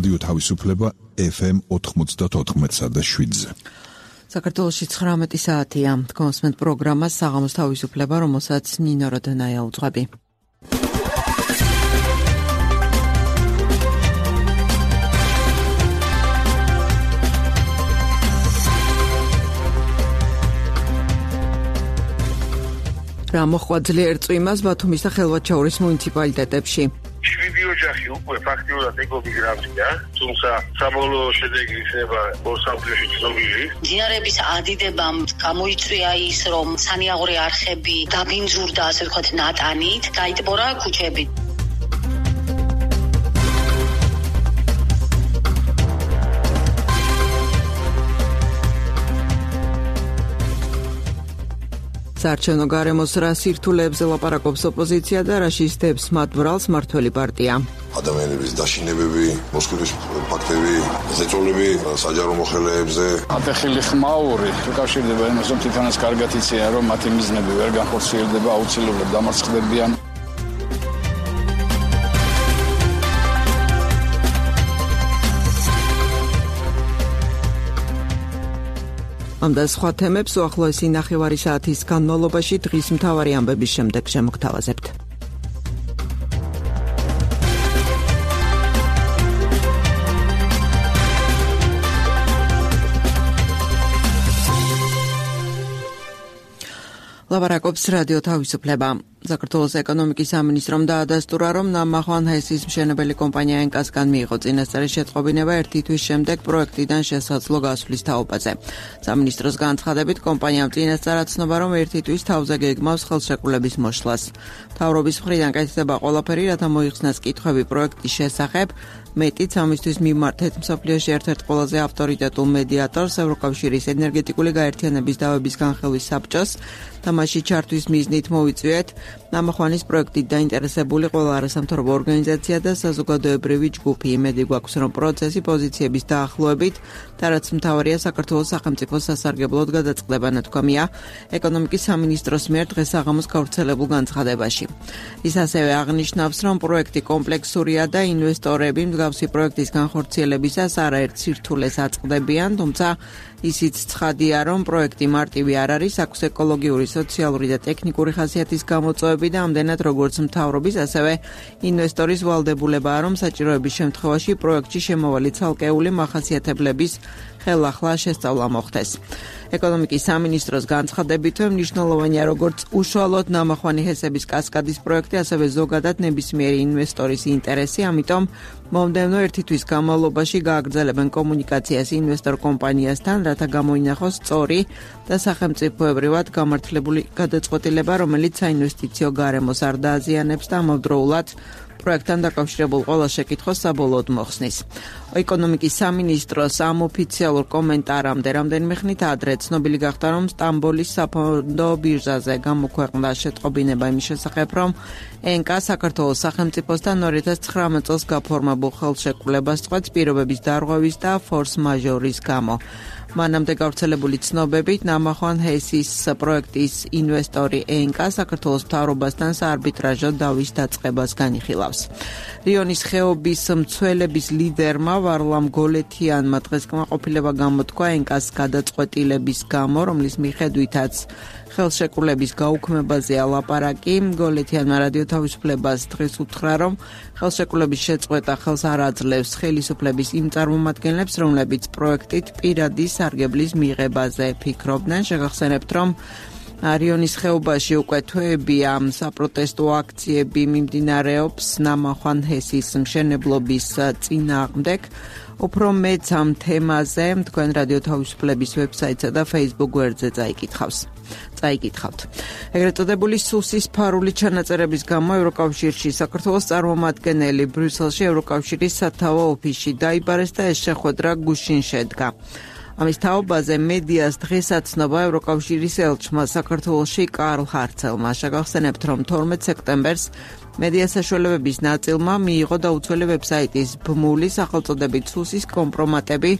რადიო თავისუფლება FM 94.7-ზე. საქართველოში 19 საათია. კონსმენტ პროგრამა საღამოს თავისუფლება, რომელსაც ნინო როდონაია უძღვები. რა მოხდა ძლიერ წვიმას ბათუმის და ხელვაჩაურის მუნიციპალიტეტებში. 7 ოჯახი უკვე ფაქტიურად ეკობის გრაფიკა, თუმცა საბოლოო შედეგი იქნება ორსაფრთხეში ცნობილი. მდინარეების ადიდებამ გამოიწვია ის, რომ სანიაღორი არხები დაბინძურდა, ასე ვთქვათ, ნატანით, გაიტბორა ქუჩები. საარჩევნო გარემოს რა სირთულეებზე ლაპარაკობს ოპოზიცია და რა შისდებს მათ ბრალს მმართველი პარტია. ადამიანების დაშინებები, მოსკვეთის ფაქტები, ზეწოლები საჯარო მოხელეებზე. ატეხილი ხმაური უკავშირდება იმას, რომ თვითონაც კარგად იციან, რომ მათი მიზნები ვერ განხორციელდება, აუცილებლად დამარცხდებიან. ამ და სხვა თემებს უახლოესი ნახევარი საათის განმავლობაში დღის მთავარი ამბების შემდეგ შემოგთავაზებთ. ლაპარაკობს რადიო თავისუფლება. საქართველოს ეკონომიკის სამინისტრომ დაადასტურა, რომ ნამახვან ჰესის მშენებელი კომპანია ენკასგან მიიღო წინასწარი შეტყობინება 1 თვის შემდეგ პროექტიდან შესაძლო გასვლის თაობაზე. სამინისტროს განცხადებით, კომპანიამ წინასწარ აცნობა, რომ 1 თვის თავზე გეგმავს ხელშეკრულების მოშლას. მთავრობის მხრიდან კეთდება ყველაფერი, რათა მოიხსნას კითხვები პროექტის შესახებ. მეტიც ამისთვის მიმართეთ მსოფლიოში ერთ-ერთ ყველაზე ავტორიტეტულ მედიატორს, ევროკავშირის ენერგეტიკული გაერთიანების დავების განხილვის საბჭოს და მასში ჩართვის მიზნით მოვიწვიეთ ნამახვანის პროექტით დაინტერესებული ყველა არასამთავრობო ორგანიზაცია და საზოგადოებრივი ჯგუფი. იმედი გვაქვს, რომ პროცესი პოზიციების დაახლოებით და რაც მთავარია საქართველოს სახელმწიფოს სასარგებლოდ გადაწყდება, ნათქვამია ეკონომიკის სამინისტროს მიერ დღესაღამოს გავრცელებულ განცხადებაში. ის ასევე აღნიშნავს, რომ პროექტი კომპლექსურია და ინვესტორები მსგავსი პროექტის განხორციელებისას არაერთ სირთულეს აწყდებიან, თუმცა ისიც ცხადია, რომ პროექტი მარტივი არ არის, აქვს ეკოლოგიური, სოციალური და ტექნიკური ხასიათის გამოწვევები და ამდენად როგორც მთავრობის, ასევე ინვესტორის ვალდებულებაა, რომ საჭიროების შემთხვევაში პროექტში შემავალი ცალკეული მახასიათებლების ხელახლა შესწავლა მოხდეს. ეკონომიკის სამინისტროს განცხადებით, მნიშვნელოვანია როგორც უშუალოდ ნამახვანი ჰესების კასკადის პროექტი, ასევე ზოგადად ნებისმიერი ინვესტორის ინტერესი, ამიტომ მომდევნო 1 თვის განმავლობაში გააგრძელებენ კომუნიკაციას ინვესტორ კომპანიასთან, რათა გამოინახოს სწორი და სახელმწიფოებრივად გამართლებული გადაწყვეტილება, რომელიც საინვესტიციო გარემოს არ დააზიანებს და ამავდროულად პროექტთან დაკავშირებულ ყველა შეკითხვას საბოლოოდ მოხსნის. ეკონომიკის სამინისტროს ამ ოფიციალურ კომენტარამდე რამდენიმე ხნით ადრე ცნობილი გახდა, რომ სტამბოლის საფონდო ბირჟაზე გამოქვეყნდა შეტყობინება იმის შესახებ, რომ ენკა საქართველოს სახელმწიფოსთან 2019 წელს გაფორმებულ ხელშეკრულებას წყვეტს პირობების დარღვევის და ფორს მაჟორის გამო. მანამდე გავრცელებული ცნობებით ნამახვან ჰესის პროექტის ინვესტორი ენკა საქართველოს მთავრობასთან საარბიტრაჟო დავის დაწყებას განიხილავს. რიონის ხეობის მცველების ლიდერმა ვარლამ გოლეთიანმა დღეს კმაყოფილება გამოთქვა ენკას გადაწყვეტილების გამო, რომლის მიხედვითაც ხელშეკრულების გაუქმებაზეა ლაპარაკი. გოლეთიანმა რადიო თავისუფლებას დღეს უთხრა, რომ ხელშეკრულების შეწყვეტა ხელს არ აძლევს ხელისუფლების იმ წარმომადგენლებს, რომლებიც პროექტით პირადი სარგებლის მიღებაზე ფიქრობდნენ. შეგახსენებთ, რომ რიონის ხეობაში უკვე თვეებია საპროტესტო აქციები მიმდინარეობს ნამახვან ჰესის მშენებლობის წინააღმდეგ. უფრო მეც ამ თემაზე თქვენ რადიო თავისუფლების ვებსაიტსა და Facebook გვერდზე წაიკითხავთ. ეგრეთ წოდებული სუსის ფარული ჩანაწერების გამო ევროკავშირში საქართველოს წარმომადგენელი ბრიუსელში ევროკავშირის სათავო ოფისში დაიბარეს და ეს შეხვედრა გუშინ შედგა. ამის თაობაზე მედიას დღეს აცნობა ევროკავშირის ელჩმა საქართველოში კარლ ჰარცელმა. შეგახსენებთ, რომ 12 სექტემბერს მედია საშუალებების ნაწილმა მიიღო დაუცველი ვებსაიტის ბმული სახელწოდებით სუსის კომპრომატები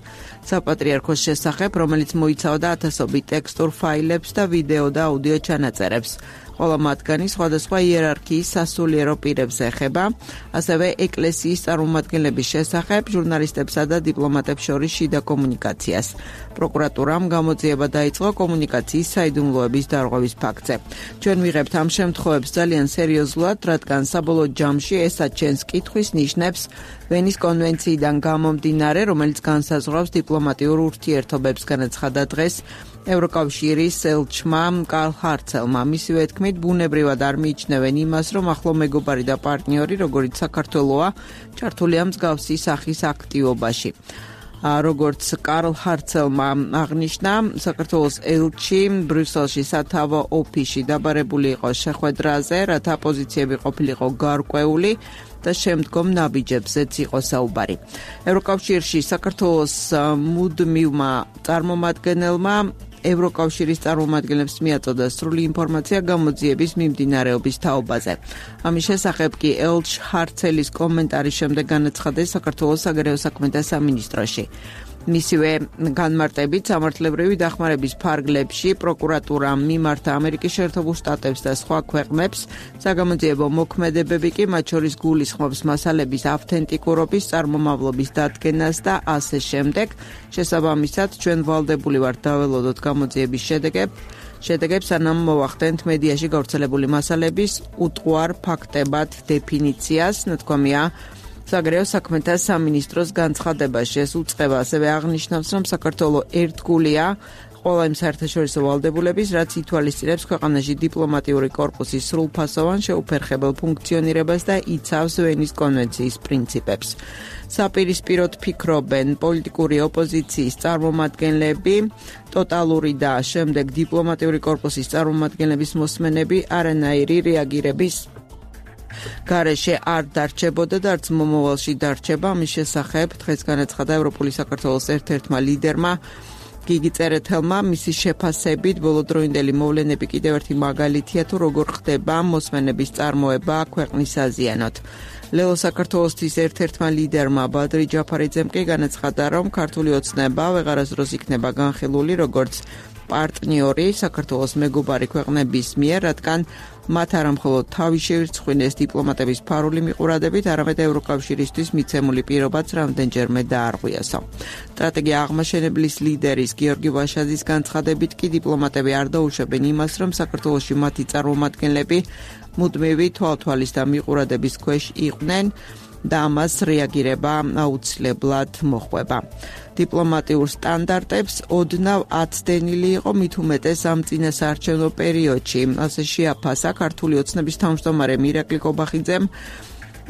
საპატრიარქოს შესახებ, რომელიც მოიცავდა ათასობით ტექსტურ ფაილებს და ვიდეო და აუდიო ჩანაწერებს. Ყველა მათგანი სხვადასხვა იერარქიის სასულიერო პირებს ეხება, ასევე ეკლესიის წარმომადგენლების შესახებ, ჟურნალისტებსა და დიპლომატებს შორის შიდა კომუნიკაციას. პროკურატურამ გამოძიება დაიწყო კომუნიკაციის საიდუმლოების დარღვევის ფაქტზე. ჩვენ ვიღებთ ამ შემთხვევებს ძალიან სერიოზულად, რადგან საბოლოო ჯამში ესაც ჩვენს კითხვის ნიშნებს ვენის კონვენციიდან გამომდინარე, რომელიც განსაზღვრავს დიპლომატიურ ურთიერთობებს, განაცხადა დღეს ევროკავშირის ელჩმა კარლ ჰარცელმა. მისივე თქმით, ბუნებრივად არ მიიჩნევენ იმას, რომ ახლო მეგობარი და პარტნიორი, როგორც საქართველოა, ჩართულია მსგავსი სახის აქტივობაში. როგორც კარლ ჰარცელმა აღნიშნა, საქართველოს ელჩი ბრიუსელში სათავო ოფისში დაბარებული იყო შეხვედრაზე, რათა პოზიციები ყოფილიყო გარკვეული და შემდგომ ნაბიჯებზეც იყო საუბარი. ევროკავშირში საქართველოს მუდმივმა წარმომადგენელმა ევროკავშირის წარმომადგენლებს მიაწოდა სრული ინფორმაცია გამოძიების მიმდინარეობის თაობაზე. ამის შესახებ კი ელჩ ჰარცელის კომენტარის შემდეგ განაცხადა საქართველოს საგარეო საქმეთა სამინისტროში. მისივე განმარტებით სამართლებრივი დახმარების ფარგლებში პროკურატურამ მიმართა ამერიკის შეერთებულ შტატებს და სხვა ქვეყნებს საგამოძიებო მოქმედებები კი მათ შორის გულისხმობს მასალების ავთენტიკურობის, წარმომავლობის დადგენას და ასე შემდეგ. შესაბამისად, ჩვენ ვალდებული ვართ დაველოდოთ გამოძიების შედეგებს, სანამ მოვახდენთ მედიაში გავრცელებული მასალების უტყუარ ფაქტებად დეფინიციას, ნათქვამია საგარეო საქმეთა სამინისტროს განცხადებაში. ეს უწყება ასევე აღნიშნავს, რომ საქართველო ერთგულია ყველა იმ საერთაშორისო ვალდებულების, რაც ითვალისწინებს ქვეყანაში დიპლომატიური კორპუსის სრულფასოვან შეუფერხებელ ფუნქციონირებას და იცავს ვენის კონვენციის პრინციპებს. საპირისპიროდ ფიქრობენ პოლიტიკური ოპოზიციის წარმომადგენლები, ტოტალური და შემდეგ დიპლომატიური კორპუსის წარმომადგენლების მოსმენები არანაირი რეაგირების გარეშე არ დარჩებოდა და არც მომავალში დარჩება. ამის შესახებ დღეს განაცხადა ევროპული საქართველოს ერთ-ერთმა ლიდერმა გიგი წერეთელმა. მისი შეფასებით ბოლოდროინდელი მოვლენები კიდევ ერთი მაგალითია თუ როგორ ხდება მოსმენების წარმოება ქვეყნის აზიანოთ. ლელო საქართველოსთვის ერთ-ერთმა ლიდერმა ბადრი ჯაფარიძემ კი განაცხადა, რომ ქართული ოცნება ვეღარასდროს იქნება განხილული როგორც პარტნიორი საქართველოს მეგობარი ქვეყნების მიერ, რადგან მათ არა მხოლოდ თავი შეირცხვინეს დიპლომატების ფარული მიყურადებით, არამედ ევროკავშირისთვის მიცემული პირობაც რამდენჯერმე დაარღვიასო. სტრატეგია აღმაშენებლის ლიდერის გიორგი ვაშაძის განცხადებით კი დიპლომატები არ დაუშვებენ იმას, რომ საქართველოში მათი წარმომადგენლები მუდმივი თვალთვალის და მიყურადების ქვეშ იყვნენ და ამას რეაგირება აუცილებლად მოხვება. დიპლომატიურ სტანდარტებს ოდნავ აცდენილი იყო მით უმეტეს ამ წინასაარჩევნო პერიოდში. ასე შეაფასა ქართული ოცნების თავმჯდომარე მირაკლი კობახიძემ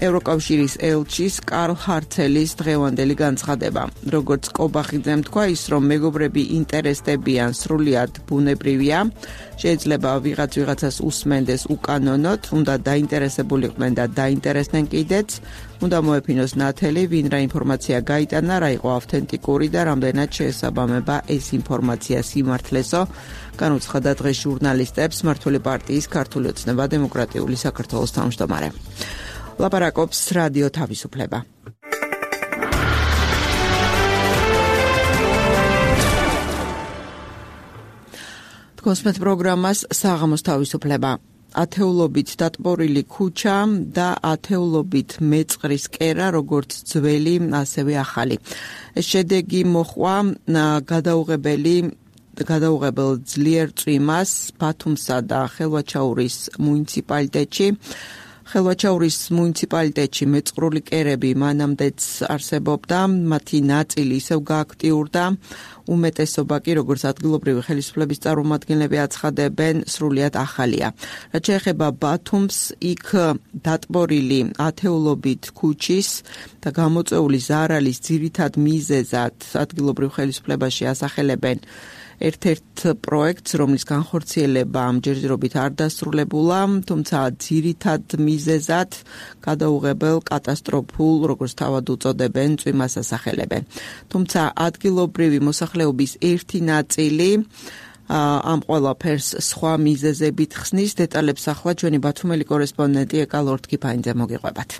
ევროკავშირის ელჩის კარლ ჰარცელის დღევანდელი განცხადება. როგორც კობახიძემ თქვა, ის რომ მეგობრები ინტერესდებიან სრულიად ბუნებრივია, შეიძლება ვიღაცას უსმენდეს უკანონოდ, უნდა დაინტერესებულიყვნენ და დაინტერესდნენ კიდეც, უნდა მოეფინოს ნათელი, ვინ რა ინფორმაცია გაიტანა, რა იყო ავთენტიკური და რამდენად შეესაბამება ეს ინფორმაცია სიმართლესო, განუცხადა დღეს ჟურნალისტებს მმართველი პარტიის ქართული ოცნება დემოკრატიული საქართველოს თავმჯდომარე. ლაპარაკობს რადიო თავისუფლება. თქოსმეთ პროგრამას საღამოს თავისუფლება. ათეულობით დატბორილი ქუჩა და ათეულობით მეწყრის კერა, როგორც ძველი, ასევე ახალი. ეს შედეგი მოჰყვა გადაუღებელ ძლიერ წვიმას ბათუმსა და ხელვაჩაურის მუნიციპალიტეტში. ხელვაჩაურის მუნიციპალიტეტში მეწყრული კერები მანამდეც არსებობდა, მათი ნაწილი ისევ გააქტიურდა, უმეტესობა კი, როგორც ადგილობრივი ხელისუფლების წარმომადგენლები აცხადებენ, სრულიად ახალია. რაც შეეხება ბათუმს, იქ დატბორილი ათეულობით ქუჩის და გამოწვეული ზარალის ძირითად მიზეზად ადგილობრივ ხელისუფლებაში ასახელებენ ერთ-ერთ პროექტს, რომლის განხორციელება ამჯერადობით არ დასრულებულა, თუმცა ძირითად მიზეზად გადაუღებელ კატასტროფულ, როგორც თავად უწოდებენ, წვიმას ასახელებენ. თუმცა ადგილობრივი მოსახლეობის ერთი ნაწილი ამ ყველაფერს სხვა მიზეზებით ხსნის. დეტალებს ახლა ჩვენი ბათუმელი კორესპონდენტი ეკა ლორთქიფაინძე მოგიყვებათ.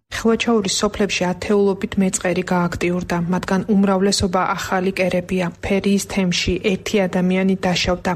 ხილვაჩაურის სოფლებში ათეულობით მეწყერი გააქტიურდა, მათგან უმრავლესობა ახალი კერებია. ფერიის თემში ერთი ადამიანი დაშავდა.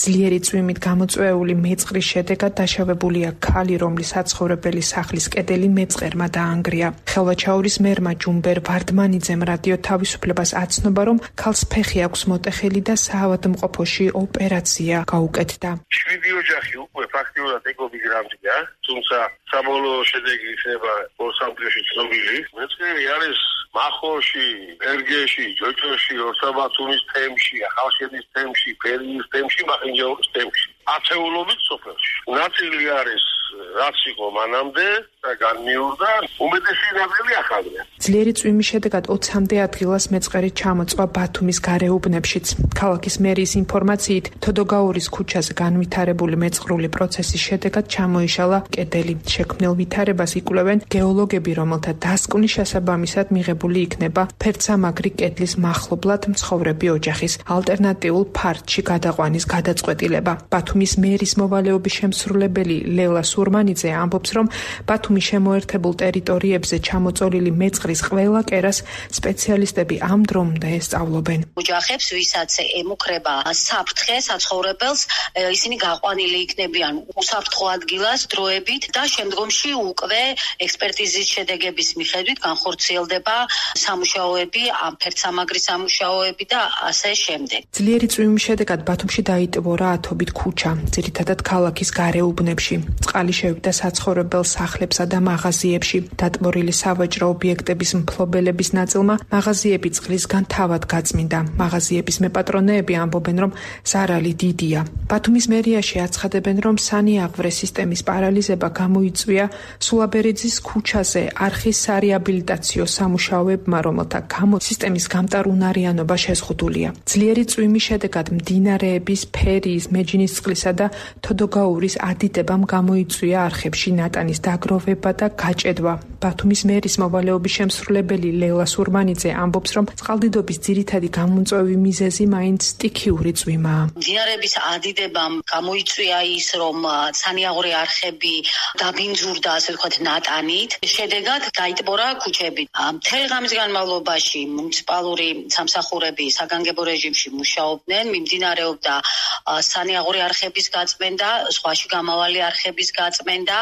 ძლიერი წვიმით გამოწვეული მეწყრის შედეგად დაშავებულია ქალი, რომლის საცხოვრებელი სახლის კედელი მეწყერმა დაანგრია. ხილვაჩაურის მერმა ჯუმბერ ვარდმანიძემ რადიო თავისუფლებას აცნობა, რომ ქალს ფეხი აქვს მოტეხილი და საავადმყოფოში ოპერაცია გაუკეთდა. 7 ოჯახი უკვე ფაქტიურად ეკობის გრამზია, თუმცა საბოლოო შედეგი იქნება სამტრეში ცნობილი. მეწყერი არის მახოში, ერგეში, ჯოჯოში, ორსაბათუმის თემში, ახალშენის თემში, ფერიის თემში, მახინჯაურის თემში. ათეულობით სოფელში. ნაწილი არის რაც იყო მანამდე და განმიურდა, უმეტესი ნაწილი ახალია. ძლიერი წვიმის შედეგად 20-მდე ადგილას მეწყერი ჩამოწვა ბათუმის გარეუბნებშიც. ქალაქის მერიის ინფორმაციით, თოდოგაურის ქუჩაზე განვითარებული მეწყრული პროცესის შედეგად ჩამოიშალა კედელი. შექმნილ ვითარებას იკვლევენ გეოლოგები, რომელთა დასკვნის შესაბამისად მიღებული იქნება ფერცამაგრი კედლის მახლობლად მცხოვრები ოჯახის ალტერნატიულ ფართში გადაყვანის გადაწყვეტილება. ბათუმის მერის მოვალეობის შემსრულებელი ლელა სურმანიძე ამბობს, რომ ბათუმის შემოერთებულ ტერიტორიებზე ჩამოწოლილი მეწყრის ყველა კერას სპეციალისტები ამ დრომდე ესწავლობენ. ოჯახებს, ვისაც ემუქრება საფრთხე საცხოვრებელს, ისინი გაყვანილი იქნებიან უსაფრთხო ადგილას დროებით და შემდგომში უკვე ექსპერტიზის შედეგების მიხედვით განხორციელდება სამუშაოები, ამ ფერცამაგრის სამუშაოები და ასე შემდეგ. ძლიერი წვიმის შედეგად ბათუმში დაიტბორა ათობით ქუჩა, ძირითადად ქალაქის გარეუბნებში. წყალი შევიდა საცხოვრებელ სახლებსა და მაღაზიებში. დატბორილი სავაჭრო ობიექტების მფლობელების ნაწილმა მაღაზიები წყლისგან თავად გაწმინდა. მაღაზიების მეპატრონეები ამბობენ, რომ ზარალი დიდია. ბათუმის მერიაში აცხადებენ, რომ სანიაღვრე სისტემის პარალიზება გამოიწვია სულაბერიძის ქუჩაზე არხის სარეაბილიტაციო სამუშაოებმა, რომელთა გამო სისტემის გამტარუნარიანობა შეზღუდულია. ძლიერი წვიმის შედეგად მდინარეების ფერიის, მეჯინისწყლისა და თოდოგაურის ადიდებამ გამოიწვია არხებში ნატანის დაგროვება და გაჭედვა. ბათუმის მერის მოვალეობის შემსრულებელი ლელა სურმანიძე ამბობს, რომ წყალდიდობის ძირითადი გამომწვევი მიზეზი მაინც სტიქიური წვიმაა. მდინარეების ადიდებამ გამოიწვია ის, რომ სანიაღვრე არხები დაბინძურდა, ასე ვთქვათ, ნატანით. შედეგად გაიტბორა ქუჩები. მთელი ღამის განმავლობაში მუნიციპალური სამსახურები საგანგებო რეჟიმში მუშაობდნენ, მიმდინარეობდა სანიაღვრე არხების გაწმენდა, სხვაში გამავალი არხების გაწმენდა,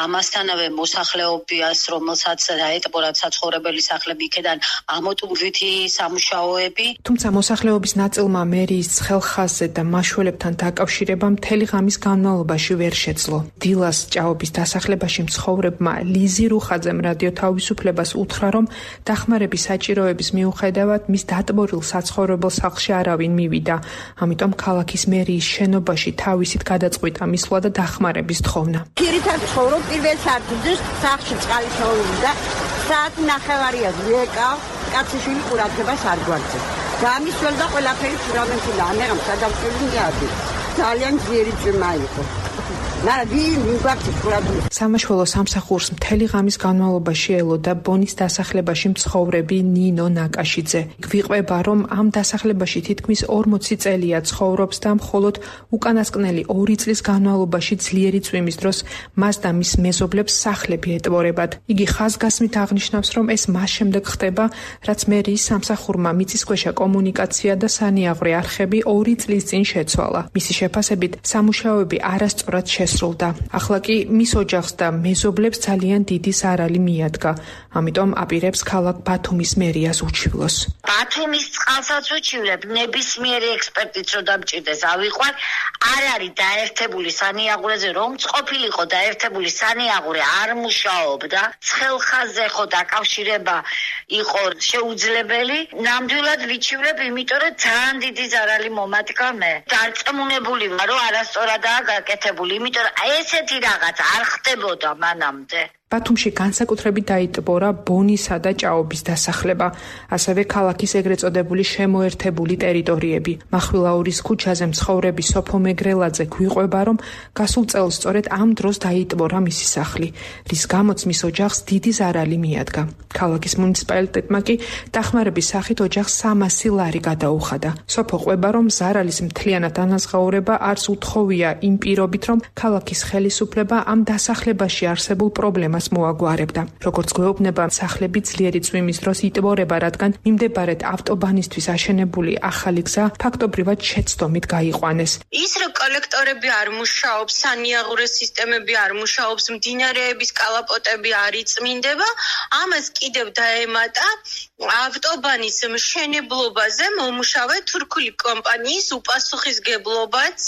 ამასთანავე მოსახლეობას, რომელსაც დაეტბორა საცხოვრებელი სახლები, იქედან ამოტვირთი სამუშაოები. თუმცა მოსახლეობის ნაწილმა მერიის ცხელხაზზე და მაშველებთან დაკავშირება მთელი ღამის განმავლობაში ვერ შეძლო. დილას ჭაობის დასახლებაში მცხოვრებმა ლიზი რუხაძემ რადიო თავისუფლებას უთხრა, რომ დახმარების საჭიროების მიუხედავად მის დატბორილ საცხოვრებელ სახლში არავინ მივიდა. ამიტომ ქალაქის მერიის შენობაში თავისით გადაწყვიტა მისვლა და დახმარების თხოვნა. Ქირითად ცხოვრობ პირველ სართულზე, სახლში წყალი შოულობდა, საათი ნახევარია ვიეკავ, კაციშვილი ყურადღებას არ გვაქვს. გამისვლა ყველაფერი ფუნდამენტი ამერამ სადამწყვეტი გადი. ძალიან ძლიერი წვიმა იყო. სამაშველო სამსახურს მთელი ღამის განმავლობაში ელოდა ბონის დასახლებაში მცხოვრები ნინო ნაკაშიძე. გვიყვება, რომ ამ დასახლებაში თითქმის 40 წელია ცხოვრობს და მხოლოდ უკანასკნელი 2 წლის განმავლობაში ძლიერი წვიმის დროს მას და მის მეზობლებს სახლები ეტბორებათ. იგი ხაზგასმით აღნიშნავს, რომ ეს მას შემდეგ ხდება, რაც მერიის სამსახურმა მიწისქვეშა კომუნიკაცია და სანიაღვრე არხები 2 წლის წინ შეცვალა. მისი შეფასებით სამუშაოები არასწორად შესრულდა. ახლა კი მის ოჯახს და მეზობლებს ძალიან დიდი ზარალი მიადგა. ამიტომ აპირებს ქალაქ ბათუმის მერიას უჩივლოს. ბათუმის წყალსაც უჩივლებ, ნებისმიერი ექსპერტიც რო დამჭირდეს ავიყვან, არ არის დაერთებული სანიაღვრეზე, რომ ყოფილიყო დაერთებული სანიაღვრე არ მუშაობდა, ცხელხაზზე ხო დაკავშირება იყო შეუძლებელი, ნამდვილად ვიჩივლებ, იმიტომ რომ ძალიან დიდი ზარალი მომატკა მე. დარწმუნებული ვარ, რომ არასწორადაა გაკეთებული, იმიტომ რომ ესეთი რაღაც არ ხდებოდა მანამდე. ბათუმში განსაკუთრებით დაიტბორა ბონისა და ჭაობის დასახლება, ასევე ქალაქის ეგრეთ წოდებული შემოერთებული ტერიტორიები. მახვილაურის ქუჩაზე მცხოვრები სოფო მეგრელაძე გვიყვება, რომ გასულ წელს სწორედ ამ დროს დაიტბორა მისი სახლი, რის გამოც მის ოჯახს დიდი ზარალი მიადგა. ქალაქის მუნიციპალიტეტმა კი დახმარების სახით ოჯახს 300 ლარი გადაუხადა. სოფო ყვება, რომ ზარალის მთლიანად ანაზღაურება არც უთხოვია იმ პირობით, რომ ქალაქის ხელისუფლება ამ დასახლებაში არსებულ პრობლემას მოაგვარებდა. როგორც გვეუბნება, სახლები ძლიერი წვიმის დროს იტბორება, რადგან მიმდებარედ ავტობანისთვის აშენებული ახალი გზა ფაქტობრივად შეცდომით გაიყვანეს. ის რომ კოლექტორები არ მუშაობს, სანიაღურე სისტემები არ მუშაობს, მდინარეების კალაპოტები არ იწმინდება, ამას კიდევ დაემატა ავტობანის მშენებლობაზე მომუშავე თურქული კომპანიის უპასუხისგებლობაც,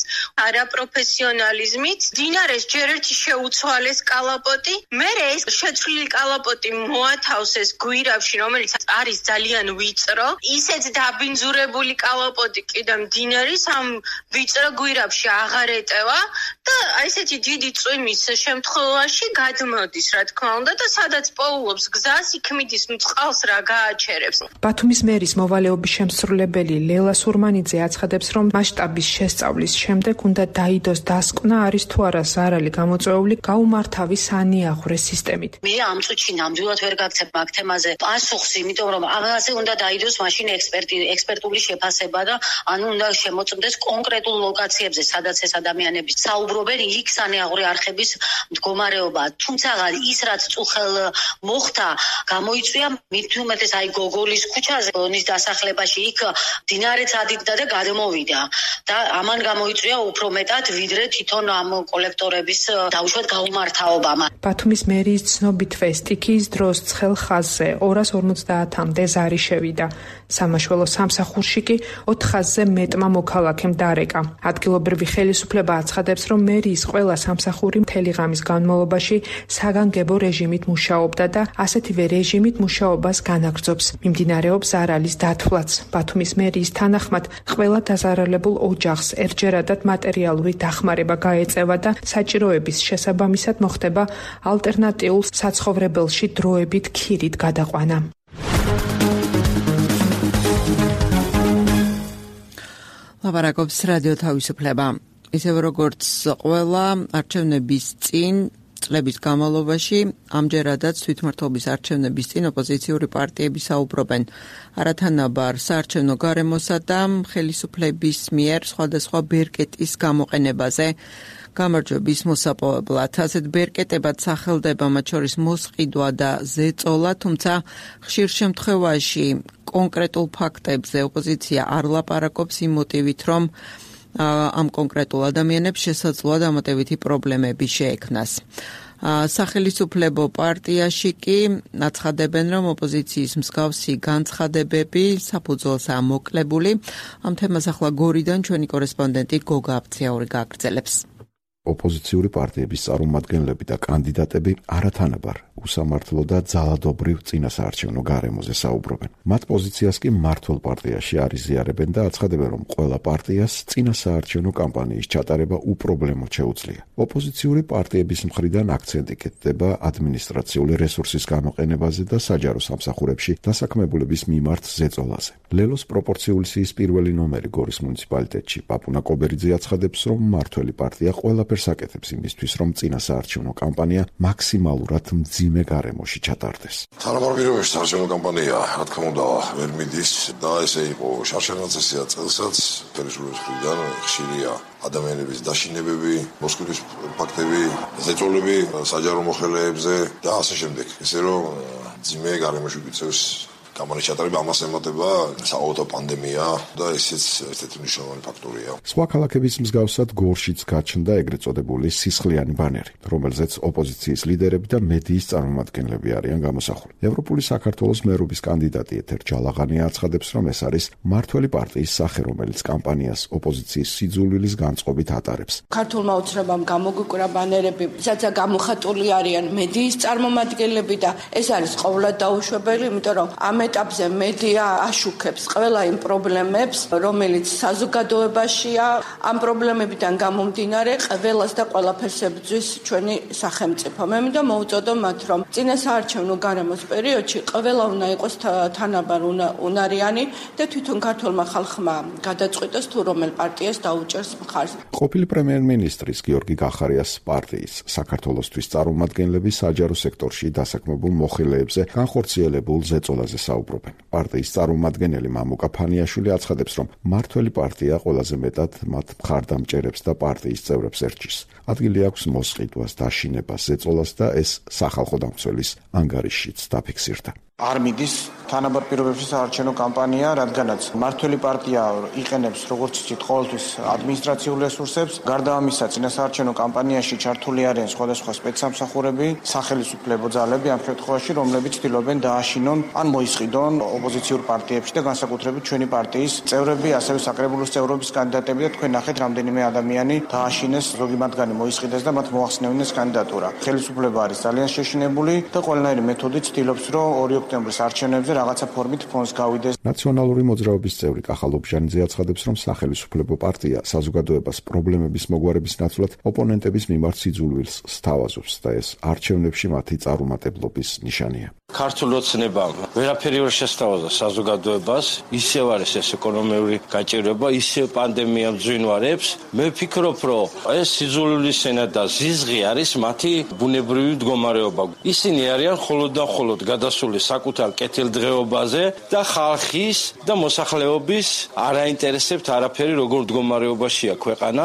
არაპროფესიონალიზმით. მდინარეს ჯერ ერთი შეუცვალეს კალაპოტი, მერე ეს შეცვლილი კალაპოტი მოათავსეს გვირავში, რომელიც არის ძალიან ვიწრო. ისეთ დაბინძურებული კალაპოტი კიდევ მდინარის ამ ვიწრო გვირავში აღარ ეტევა და ესეთი დიდი წვიმის შემთხვევაში გადმოდის, რა თქმა უნდა, და სადაც პოულობს გზას, იქ მიდის წყალს რა გააჩერებს. ბათუმის მერის მოვალეობის შემსრულებელი ლელა სურმანიძე აცხადებს, რომ მასშტაბის შესწავლის შემდეგ უნდა დაიდოს დასკვნა, არის თუ არა ზარალი გამოწვეული გაუმართავი სანიაღურე სისტემით. მე ამ წუთში ნამდვილად ვერ გაგცემ მაგ თემაზე პასუხს, იმიტომ რომ ამაზე უნდა დაიდოს მაშინ ექსპერტული შეფასება და ანუ უნდა შემოწმდეს კონკრეტულ ლოკაციებზე, სადაც ეს ადამიანები საუბრობენ, იქ სანიაღურე არხების მდგომარეობა. თუმცა ის რაც წუხელ მოხდა, გამოიწვია მით უმეტეს აი გოგოლის ქუჩაზე, ონის დასახლებაში, იქ მდინარეც ადიდდა და გადმოვიდა და ამან გამოიწვია უფრო მეტად, ვიდრე თვითონ ამ კოლექტორების დაუშვათ გაუმართავობამ. ბათუმის მერიის ცნობითვე სტიქიის დროს ცხელ ხაზზე 250-მდე ზარი შევიდა. სამაშველო სამსახურში კი 400-ზე მეტმა მოქალაქემ დარეკა. ადგილობრივი ხელისუფლება აცხადებს, რომ მერიის ყველა სამსახური მთელი ღამის განმავლობაში საგანგებო რეჟიმით მუშაობდა და ასეთივე რეჟიმით მუშაობას განაგრძობს. მიმდინარეობს ზარალის დათვლაც. ბათუმის მერიის თანახმად ყველა დაზარალებულ ოჯახს ერთჯერადად მატერიალური დახმარება გაეწევა და საჭიროების შესაბამისად მოხდება ალტერნატიულ საცხოვრებელში დროებით ქირით გადაყვანა. ლაპარაკობს რადიო თავისუფლება. ისევ როგორც ყველა არჩევნების წინ წლების განმავლობაში ამჯერადაც თვითმმართველობის არჩევნების წინ ოპოზიციური პარტიები საუბრობენ არათანაბარ საარჩევნო გარემოსა და ხელისუფლების მიერ სხვადასხვა ბერკეტის გამოყენებაზე გამარჯვების მოსაპოვებლად. ასეთ ბერკეტებად სახელდება მათ შორის მოსყიდვა და ზეწოლა, თუმცა ხშირ შემთხვევაში კონკრეტულ ფაქტებზე ოპოზიცია არ ლაპარაკობს იმ მოტივით, რომ ამ კონკრეტულ ადამიანებს შესაძლოა დამატებითი პრობლემები შეექმნას. სახელისუფლებო პარტიაში კი აცხადებენ, რომ ოპოზიციის მსგავსი განცხადებები საფუძველსაა მოკლებული. ამ თემას ახლა გორიდან ჩვენი კორესპონდენტი გოგა აფციაური გააგრძელებს. ოპოზიციური პარტიების წარმომადგენლები და კანდიდატები არათანაბარ უსამართლო და ძალადობრივ წინასაარჩევნო გარემოზე საუბრობენ. მათ პოზიციას კი მმართველ პარტიაში არ იზიარებენ და აცხადებენ, რომ ყველა პარტიას წინასაარჩევნო კამპანიის ჩატარება უპრობლემოდ შეუძლია. ოპოზიციური პარტიების მხრიდან აქცენტი კეთდება ადმინისტრაციული რესურსის გამოყენებაზე და საჯარო სამსახურებში დასაქმებულების მიმართ ზეწოლაზე. ლელოს პროპორციული სიის პირველი ნომერი გორის მუნიციპალიტეტში პაპუნა კობერიძე აცხადებს, რომ მმართველი პარტია ყველაფერს აკეთებს იმისთვის, რომ წინასაარჩევნო კამპანია მაქსიმალურად მძიმე გარემოში ჩატარდეს. თანამორბირობაში საარჩევნო კამპანია, რა თქმა უნდა, ვერ მიდის და ესე იყო შარშანაცესია წელსაც ხელისუფლების მხრიდან ხშირია ადამიანების დაშინებები, მოსკვივის ფაქტები, ზეწოლები საჯარო მოხელეებზე და ასე შემდეგ. ესე რომ მძიმე გარემოში გვიწევს კამპანიის ჩატარება, ამას ემატება საავადმყოფო პანდემია და ესეც ერთ-ერთი მნიშვნელოვანი ფაქტორია. სხვა ქალაქების მსგავსად გორშიც გაჩნდა ეგრეთ წოდებული სისხლიანი ბანერი, რომელზეც ოპოზიციის ლიდერები და მედიის წარმომადგენლები არიან გამოსახული. ევროპული საქართველოს მერობის კანდიდატი ეთერ ჯალაღანია აცხადებს, რომ ეს არის მმართველი პარტიის სახე, რომელიც კამპანიას ოპოზიციის სიძულვილის განწყობით ატარებს. ქართულმა ოცნებამ გამოგვიკვრა ბანერები, სადაც გამოხატული არიან მედიის წარმომადგენლები და ეს არის ყოვლად დაუშვებელი, იმიტომ რომ ამ ეტაპზე მედია აშუქებს ყველა იმ პრობლემებს, რომელიც საზოგადოებაშია. ამ პრობლემებიდან გამომდინარე ყველას და ყველაფერს ებრძვის ჩვენი სახელმწიფო. მე მინდა მოვუწოდო მათ, რომ წინასაარჩევნო გარემოს პერიოდში ყველა უნდა იყოს თანაბარ უნარიანი და თვითონ ქართულმა ხალხმა გადაწყვიტოს თუ რომელ პარტიას დაუჭერს მხარს. ყოფილი პრემიერ-მინისტრის გიორგი გახარიას პარტიის საქართველოსთვის წარმომადგენლები საჯარო სექტორში დასაქმებულ მოხელეებზე განხორციელებულ ზეწოლაზე საუბრობენ. პარტიის წარმომადგენელი მამუკა ფანიაშვილი აცხადებს, რომ მართველი პარტია ყველაზე მეტად მათ მხარდამჭერებს და პარტიის წევრებს ერჩის. ადგილი აქვს მოსყიდვას, დაშინებას, ზეწოლას და ეს სახალხო დამცველის ანგარიშშიც დაფიქსირდა. არ მიდის თანაბარ პირობებში საარჩევნო კამპანია, რადგანაც მართველი პარტია იყენებს როგორც იცით ყოველთვის ადმინისტრაციულ რესურსებს, გარდა ამისა წინასაარჩევნო კამპანიაში ჩართული არიან სხვადასხვა სპეცსამსახურები, სახელმწიფო ძალები ამ შემთხვევაში, რომლებიც ცდილობენ დააშინონ ან მოისყიდონ ოპოზიციურ პარტიებში და განსაკუთრებით ჩვენი პარტიის წევრები, ასევე საკრებულოს წევრობის კანდიდატები და თქვენ ნახეთ რამდენიმე ადამიანი დააშინეს, ზოგი მათგანი მოისყიდეს და მათ მოახსნევინეს კანდიდატურა. ხელისუფლება არის ძალიან შეშინებული და ყველანაირი მეთოდით ცდილობს, რომ 2 ოქტომბრის არჩევნებზე რაღაცა ფორმით ფონს გავიდეს. ნაციონალური მოძრაობის წევრი კახა ლობჟანიძე აცხადებს, რომ სახელმწიფო პარტია საზოგადოებას პრობლემების მოგვარების ნაცვლად ოპონენტების მიმართ სიძულვილს სთავაზობს და ეს არჩევნებში მათი წარუმატებლობის ნიშანია. ქართულ ოცნებამ ვერაფერი ვერ შესთავაზა საზოგადოებას, ისევ არის ეს ეკონომიური გაჭირვება, ისევ პანდემია მძვინვარებს. მე ვფიქრობ, რომ ეს სიძულვილის ენა და ზიზღი არის მათი ბუნებრივი მდგომარეობა. ისინი არიან მხოლოდ და მხოლოდ გადასული საკუთარ კეთილდღეობაზე და ხალხის და მოსახლეობის არ აინტერესებთ არაფერი, როგორ მდგომარეობაშია ქვეყანა.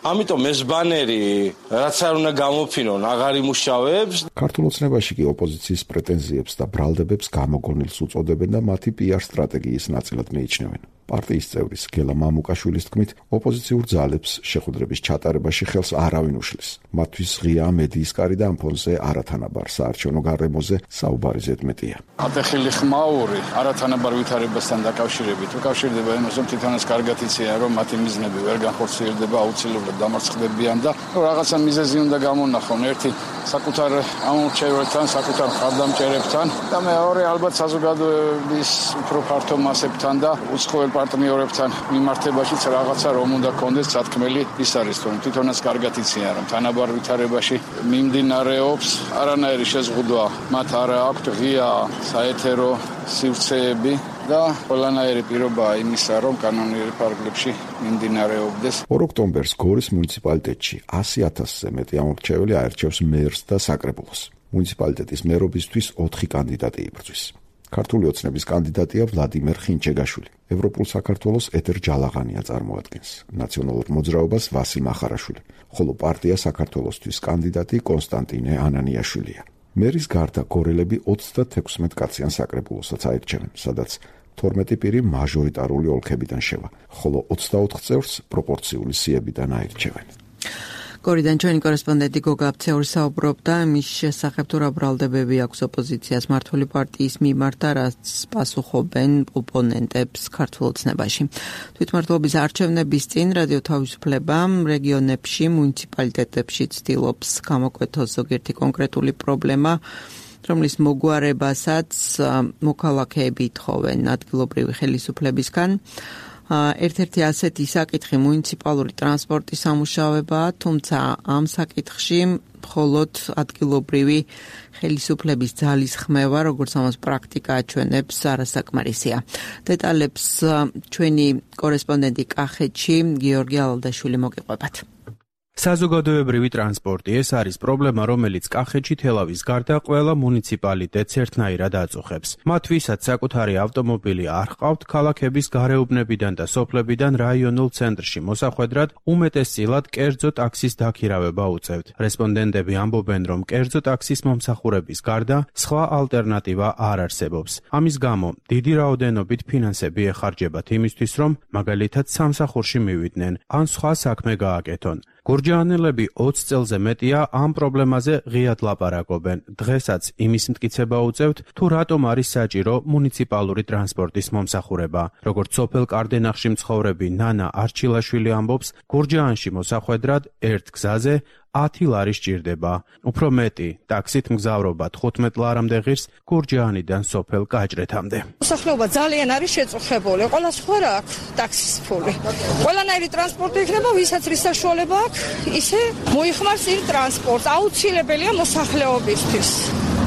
ამიტომ ეს ბანერი, რაც არ უნდა გამოფინონ, აღარ იმუშავებს. ქართულ ოცნებაში კი ოპოზიციის პრეტენზიებს და ბრალდებებს გამოგონილს უწოდებენ და მათი PR სტრატეგიის ნაწილად მიიჩნევენ. პარტიის წევრის გელა მამუკაშვილის თქმით, ოპოზიციურ ძალებს შეხვედრების ჩატარებაში ხელს არავინ უშლის. მათთვის ღია მედიის კარი და ამ ფონზე არათანაბარ საარჩევნო გარემოზე საუბარი ზედმეტია. ატეხილი ხმაური არათანაბარ ვითარებასთან დაკავშირებით უკავშირდება იმას, რომ თვითონაც კარგად იციან, რომ მათი მიზნები ვერ განხორციელდება, აუცილებლად დამარცხდებიან და რაღაცა მიზეზი უნდა გამონახონ. ერთი საკუთარ ამორჩევრებთან, საკუთარ მხარდამჭერებთან და მეორე ალბათ საზოგადოების უფრო ფართო მასებთან და უცხოელ პარტნიორებთან მიმართებაშიც რაღაცა რომ უნდა კონდეს სათქმელი. ის არის, რომ თვითონაც კარგად იციან, რომ თანაბარ ვითარებაში მიმდინარეობს არანაირი შეზღუდვა მათ არ აქვთ ღია საეთერო სივრცეები და ყველანაირი პირობაა იმისა, რომ კანონიერ ფარგლებში მიმდინარეობდეს. 2 ოქტომბერს გორის მუნიციპალიტეტში 100,000-ზე მეტი ამორჩეველი აერჩევს მერს და საკრებულოს. მუნიციპალიტეტის მერობისთვის 4 კანდიდატი იბრძვის. ქართული ოცნების კანდიდატია ვლადიმერ ხინჩეგაშვილი. ევროპულ საქართველოს ეთერ ჯალაღანია წარმოადგენს. ნაციონალურ მოძრაობას ვასილ მახარაშვილი, ხოლო პარტია საქართველოსთვის კანდიდატი კონსტანტინე ანანიაშვილია. მერის გარდა გორელები 36 კაციან საკრებულოსაც აირჩევენ, სადაც 12 პირი მაჟორიტარული ოლქებიდან შევა, ხოლო 24 წევრს პროპორციული სიებიდან აირჩევენ. გორიდან ჩვენი კორესპონდენტი გოგა აფცეური საუბრობდა მის შესახებ, თუ რა ბრალდებები აქვს ოპოზიციას მართველი პარტიის მიმართ და რაც პასუხობენ ოპონენტებს ქართულ ოცნებაში. თვითმმართველობის არჩევნების წინ რადიო თავისუფლება რეგიონებში, მუნიციპალიტეტებში ცდილობს გამოკვეთოს ზოგიერთი კონკრეტული პრობლემა, რომლის მოგვარებასაც მოქალაქეები ითხოვენ ადგილობრივი ხელისუფლებისგან. ერთ-ერთი ასეთი საკითხი მუნიციპალური ტრანსპორტის სამუშაოებაა, თუმცა ამ საკითხში მხოლოდ ადგილობრივი ხელისუფლების ძალის ხმევა, როგორც ამას პრაქტიკა აჩვენებს, არასაკმარისია. დეტალებს ჩვენი კორესპონდენტი კახეთში გიორგი ალალდაშვილი მოგიყვებათ. საზოგადოებრივი ტრანსპორტი ეს არის პრობლემა, რომელიც კახეთში თელავის გარდა ყველა მუნიციპალიტეტს ერთნაირად აწუხებს. მათ ვისაც საკუთარი ავტომობილი არ ჰყავთ, ქალაქების გარეუბნებიდან და სოფლებიდან რაიონულ ცენტრში მოსახვედრად უმეტესწილად კერძო ტაქსის დაქირავება უწევთ. რესპონდენტები ამბობენ, რომ კერძო ტაქსის მომსახურების გარდა სხვა ალტერნატივა არ არსებობს. ამის გამო დიდი რაოდენობით ფინანსები ეხარჯებათ იმისთვის, რომ მაგალითად სამსახურში მივიდნენ ან სხვა საქმე გააკეთონ. გურჯაანელები 20 წელზე მეტია ამ პრობლემაზე ღიად ლაპარაკობენ. დღესაც იმის მტკიცება უწევთ, თუ რატომ არის საჭირო მუნიციპალური ტრანსპორტის მომსახურება. როგორც სოფელ კარდენახში მცხოვრები ნანა არჩილაშვილი ამბობს, გურჯაანში მოსახვედრად ერთ გზაზე 10 ლარი სჭირდება. უფრო მეტი, ტაქსით მგზავრობა 15 ლარამდე ღირს გურჯაანიდან სოფელ გაჭრეთამდე. მოსახლეობა ძალიან არის შეწუხებული. ყველას ხო რა აქვს ტაქსის ფული. ყველანაირი ტრანსპორტი იქნება, ვისაც რის საშუალება აქვს, ისე მოიხმარს იმ ტრანსპორტს. აუცილებელია მოსახლეობისთვის.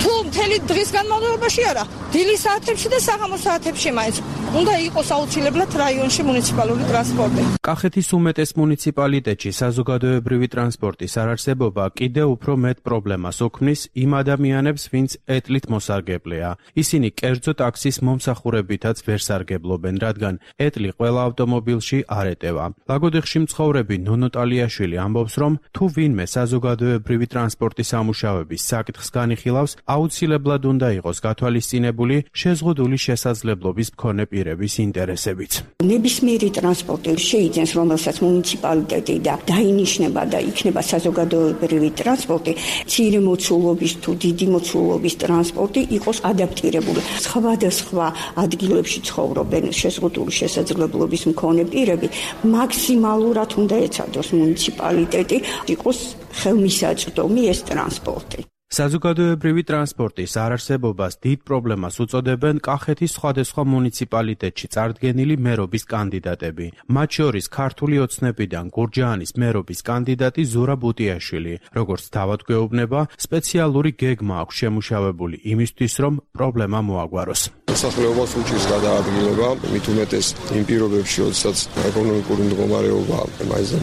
თუ მთელი დღის განმავლობაში არა, დილის საათებში და საღამოს საათებში მაინც უნდა იყოს აუცილებლად რაიონში მუნიციპალური ტრანსპორტი. კახეთის უმეტეს მუნიციპალიტეტში საზოგადოებრივი ტრანსპორტის არარსებობა კიდევ უფრო მეტ პრობლემას ოქმნის იმ ადამიანებს, ვინც ეტლით მოსარგებლეა. ისინი კერძო ტაქსის მომსახურებითაც ვერ სარგებლობენ, რადგან ეტლი ყველა ავტომობილში არ ეტევა. ლაგოდეხში მცხოვრები ნონო ტალიაშვილი ამბობს, რომ თუ ვინმე საზოგადოებრივი ტრანსპორტის ამუშავების საკითხს განიხილავს, აუცილებლად უნდა იყოს გათვალისწინებული შეზღუდული შესაძლებლობის მქონე პირების ინტერესებიც. ნებისმიერი ტრანსპორტი შეიძენს, რომელსაც მუნიციპალიტეტი და დაინიშნება და იქნება საზოგადოებრივი ტრანსპორტი, მცირე მოცულობის თუ დიდი მოცულობის ტრანსპორტი იყოს ადაპტირებული. სხვადასხვა ადგილებში ცხოვრობენ შეზღუდული შესაძლებლობის მქონე პირები, მაქსიმალურად უნდა ეცადოს მუნიციპალიტეტი იყოს ხელმისაწვდომი ეს ტრანსპორტი. საზოგადოებრივი ტრანსპორტის არარსებობას დიდ პრობლემას უწოდებენ კახეთის სხვადასხვა მუნიციპალიტეტში წარდგენილი მერობის კანდიდატები. მათ შორის ქართული ოცნებიდან გურჯაანის მერობის კანდიდატი ზურაბ უტიაშვილი. როგორც თავად გვეუბნება, სპეციალური გეგმა აქვს შემუშავებული იმისთვის, რომ პრობლემა მოაგვაროს. მოსახლეობას უჭირს გადაადგილება, მით უმეტეს იმ პირობებში, როდესაც ეკონომიკური მდგომარეობა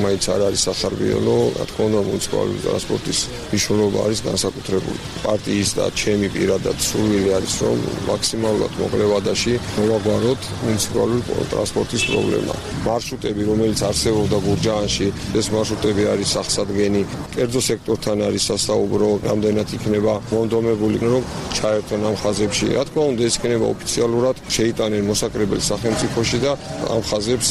მაინც არ არის სახარბიელო, რა თქმა უნდა, მუნიციპალური ტრანსპორტის მნიშვნელობა არის განსაკუთრებული. პარტიის და ჩემი პირადად სურვილი არის, რომ მაქსიმალურად მოკლე ვადაში მოვაგვაროთ მუნიციპალური ტრანსპორტის პრობლემა. მარშრუტები, რომელიც არსებობდა გურჯაანში, ეს მარშრუტები არის სახსადგენი, კერძო სექტორთან არის სასაუბრო, რამდენად იქნება მონდომებული, რომ ჩაერთონ ამ ხაზებში. რა თქმა უნდა, ეს იქნება ოფიციალურად შეიტანენ მოსაკრებელ სახელმწიფოში და ამ ხაზებს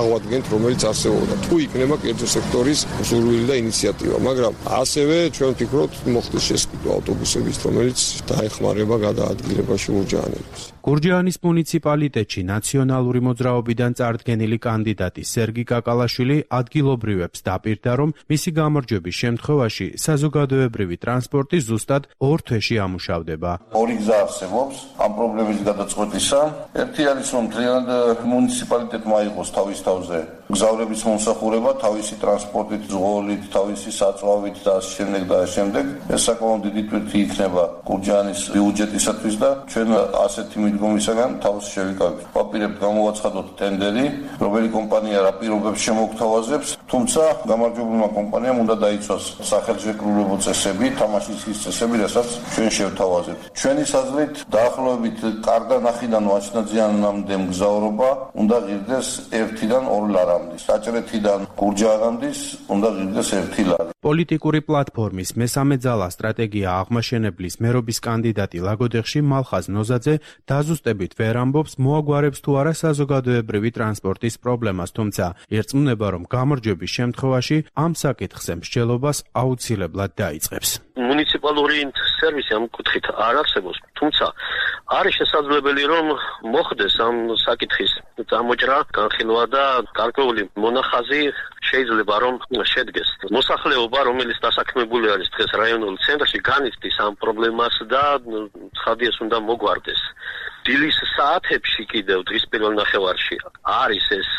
აღვადგენთ, რომელიც არსებობდა. თუ იქნება კერძო სექტორის სურვილი და ინიციატივა, მაგრამ ასევე ჩვენ ვფიქრობთ, მოხდეს შესყიდვა ავტობუსების, რომელიც დაეხმარება გადაადგილებაში გურჯაანელებს. გურჯაანის მუნიციპალიტეტში ნაციონალური მოძრაობიდან წარდგენილი კანდიდატი სერგი კაკალაშვილი ადგილობრივებს დაპირდა, რომ მისი გამარჯვების შემთხვევაში საზოგადოებრივი ტრანსპორტი ზუსტად 2 თვეში ამუშავდება. ორი გზა არსებობს ამ პრობლემის გადაწყვეტისა. ერთი არის, რომ მთლიანად მუნიციპალიტეტმა იყოს თავის თავზე მგზავრების მომსახურება, თავისი ტრანსპორტით, ზღვოლით, თავისი საწვავით და შემდეგ. ეს საკმაოდ დიდი ტვირთი იქნება გურჯაანის ბიუჯეტისათვის და ჩვენ ასეთი მიდგომისაგან თავს შევიკავებთ. ვაპირებთ გამოვაცხადოთ ტენდერი, რომელი კომპანია რა პირობებს შემოგთავაზებს, თუმცა გამარჯვებულმა კომპანიამ უნდა დაიცვას სახელმწიფო წესები, თამაშის ის წესები, რასაც ჩვენ შევთავაზებთ. ჩვენი საზრით დაახლოებით კარდანახიდან ვაჩნაძიანამდე მგზავრობა უნდა ღირდეს 1-დან 2 ლარამდე. საჭრეთიდან გურჯაანამდე უნდა ღირდეს 1 ლარი. პოლიტიკური პლატფორმის მესამე ძალა სტრატეგია აღმაშენებლის მერობის კანდიდატი ლაგოდეხში მალხაზ ნოზაძე დაზუსტებით ვერ ამბობს, მოაგვარებს თუ არა საზოგადოებრივი ტრანსპორტის პრობლემას, თუმცა ერწმუნება, რომ გამარჯვების შემთხვევაში ამ საკითხზე მსჯელობას აუცილებლად დაიწყებს. მუნიციპალური სერვისი ამ კუთხით არ არსებობს, თუმცა არის შესაძლებელი, რომ მოხდეს ამ საკითხის წამოჭრა, განხილვა და გარკვეული მონახაზი შეიძლება რომ შედგეს. მოსახლეობა, რომელიც დასაქმებული არის დღეს რაიონულ ცენტრში, განიცდის ამ პრობლემას და ცხადიას უნდა მოგვარდეს. დილის საათებში კიდევ დღის პირველ ნახევარში არის ეს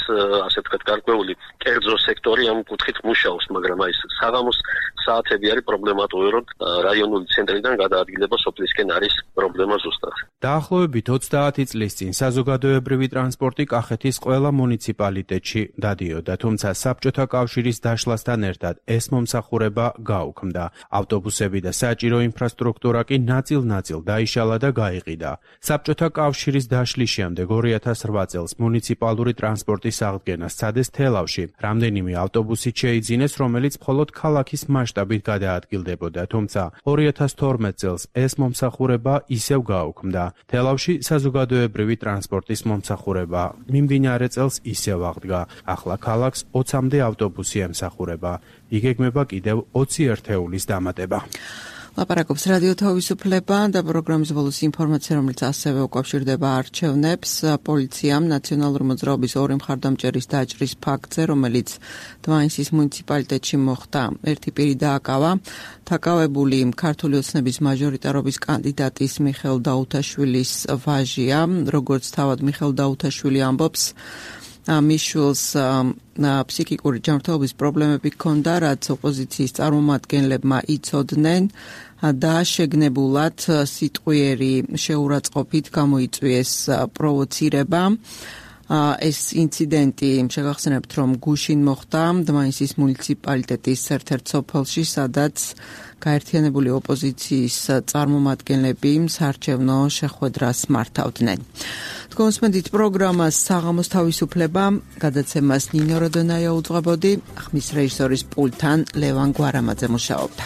ასე ვთქვათ გარკვეული კერძო სექტორი ამ კუთხით მუშაობს, მაგრამ აი საღამოს საათები არის პრობლემატური, რომ რაიონული ცენტრიდან გადაადგილება სოფლისკენ არის პრობლემა ზუსტად. დაახლოებით 30 წლის წინ საზოგადოებრივი ტრანსპორტი კახეთის ყველა მუნიციპალიტეტში დადიოდა, თუმცა საბჭოთა კავშირის დაშლასთან ერთად ეს მომსახურება გაუქმდა. ავტობუსები და საჭირო ინფრასტრუქტურა კი ნაწილ-ნაწილ დაიშალა და გაიყიდა. საბჭოთა კავშირის დაშლის შემდეგ 2008 წელს მუნიციპალური ტრანსპორტის აღდგენა სცადეს თელავში. რამდენიმე ავტობუსით შეიძინეს, რომელიც მხოლოდ ქალაქის მასშტაბით გადაადგილდებოდა, თუმცა 2012 წელს ეს მომსახურება ისევ გაუქმდა. თელავში საზოგადოებრივი ტრანსპორტის მომსახურება მიმდინარე წელს ისევ აღდგა. ახლა ქალაქს 20-მდე ავტობუსი ემსახურება. იგეგმება კიდევ 20 ერთეულის დამატება. ლაპარაკობს რადიო თავისუფლება და პროგრამის ბოლოს ინფორმაცია, რომელიც ასევე უკავშირდება არჩევნებს. პოლიციამ ნაციონალური მოძრაობის ორი მხარდამჭერის დაჭრის ფაქტზე, რომელიც დვაინსის მუნიციპალიტეტში მოხდა, ერთი პირი დააკავა. დაკავებული ქართული ოცნების მაჟორიტარობის კანდიდატის მიხეილ დაუთაშვილის ვაჟია, როგორც თავად მიხეილ დაუთაშვილი ამბობს, მის შვილს ფსიქიკური ჯანმრთელობის პრობლემები ჰქონდა, რაც ოპოზიციის წარმომადგენლებმა იცოდნენ და შეგნებულად სიტყვიერი შეურაცხყოფით გამოიწვიეს პროვოცირება. ეს ინციდენტი შეგახსენებთ, რომ გუშინ მოხდა დვაინსის მუნიციპალიტეტის ერთ-ერთ სოფელში, სადაც გაერთიანებული ოპოზიციის წარმომადგენლები საარჩევნო შეხვედრას მართავდნენ. თქვენსმენდით პროგრამას საღამოს თავისუფლება, გადაცემას ნინო როდონაია უძღვებოდი, ხმის რეჟისორის პულტთან ლევან გვარამაძე მუშაობდა.